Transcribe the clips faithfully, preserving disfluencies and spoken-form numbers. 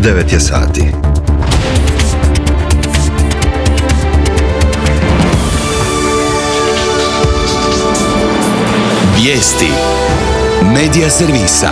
devet je sati. Vijesti Medija servisa.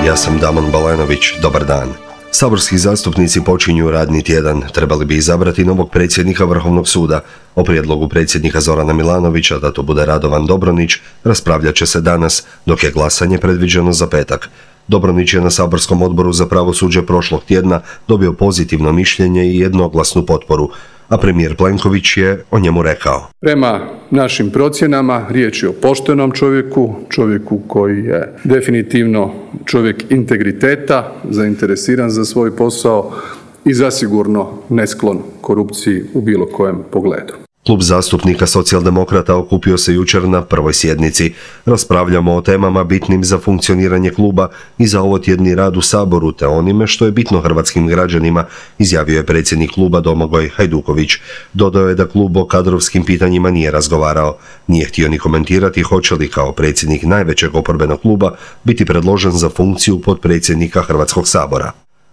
Ja sam Damon Balenović, dobar dan. Saborski zastupnici počinju radni tjedan, trebali bi izabrati novog predsjednika Vrhovnog suda. O prijedlogu predsjednika Zorana Milanovića da to bude Radovan Dobronić raspravljat će se danas, dok je glasanje predviđeno za petak. Dobronić je na saborskom odboru za pravosuđe prošlog tjedna dobio pozitivno mišljenje i jednoglasnu potporu, a premijer Plenković je o njemu rekao: Prema našim procjenama riječ je o poštenom čovjeku, čovjeku koji je definitivno čovjek integriteta, zainteresiran za svoj posao i zasigurno nesklon korupciji u bilo kojem pogledu. Klub zastupnika Socijaldemokrata okupio se jučer na prvoj sjednici. Raspravljamo o temama bitnim za funkcioniranje kluba i za ovotjedni rad u Saboru, te onime što je bitno hrvatskim građanima, izjavio je predsjednik kluba Domagoj Hajduković. Dodao je da klub o kadrovskim pitanjima nije razgovarao. Nije htio ni komentirati hoće li kao predsjednik najvećeg oporbenog kluba biti predložen za funkciju potpredsjednika Hrvatskog sabora.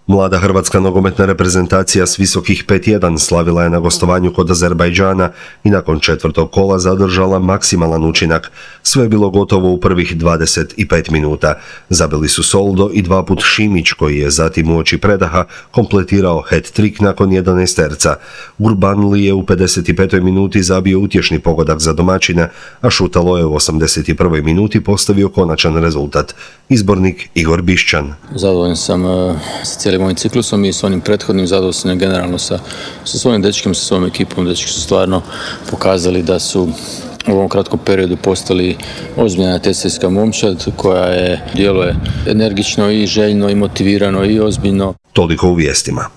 Mlada hrvatska nogometna reprezentacija s visokih pet jedan slavila je na gostovanju kod Azerbajdžana i nakon četvrtog kola zadržala maksimalan učinak. Sve je bilo gotovo u prvih dvadeset pet minuta. Zabili su Soldo i dva put Šimić, koji je zatim uoči predaha kompletirao hat-trick nakon jedanaesterca. Gurbanli je u pedeset petoj minuti zabio utješni pogodak za domaćina, a Šutalo je u osamdeset prvoj minuti postavio konačan rezultat. Izbornik Igor Bišćan. Zadovoljan sam uh, sa cijelim ovim ciklusom i s onim prethodnim, zadovoljan sam generalno sa, sa svojim dečkim, sa svojom ekipom. Dečki su stvarno pokazali da su u ovom kratkom periodu postali ozbiljna natjecateljska momčad koja je, djeluje energično i željno i motivirano i ozbiljno. Toliko u vijestima.